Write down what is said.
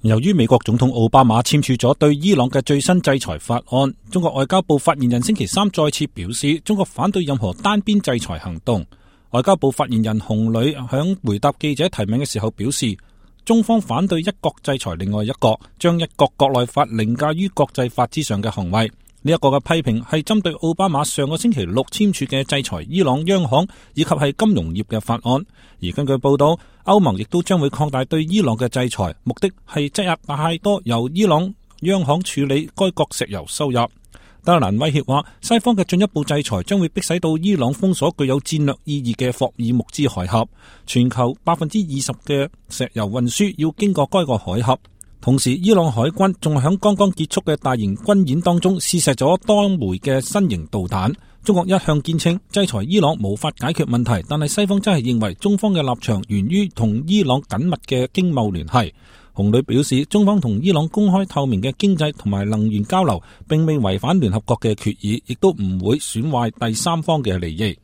由於美國總統奧巴馬簽署咗對伊朗嘅最新制裁法案，中國外交部發言人星期三再次表示，中國反對任何單邊制裁行動。外交部發言人洪磊響回答記者提問嘅時候表示，中方反對一國制裁另外一國，將一國國內法凌駕於國際法之上嘅行為。呢一個嘅批評係針對奧巴馬上個星期六簽署嘅制裁伊朗央行以及係金融業嘅法案。而根據報道，歐盟亦都將會擴大對伊朗嘅制裁，目的係擠壓太多由伊朗央行處理該國石油收入。德蘭威脅話，西方嘅進一步制裁將會迫使到伊朗封鎖具有戰略意義嘅霍爾木茲海峽，全球20%嘅石油運輸要經過該個海峽。同時，伊朗海軍仲響剛剛結束嘅大型軍演當中試射咗多枚嘅新型導彈。中國一向堅稱制裁伊朗無法解決問題，但係西方真係認為中方嘅立場源於同伊朗緊密嘅經貿聯繫。洪磊表示，中方同伊朗公開透明嘅經濟同埋能源交流，並未違反聯合國嘅決議，亦都唔會損壞第三方嘅利益。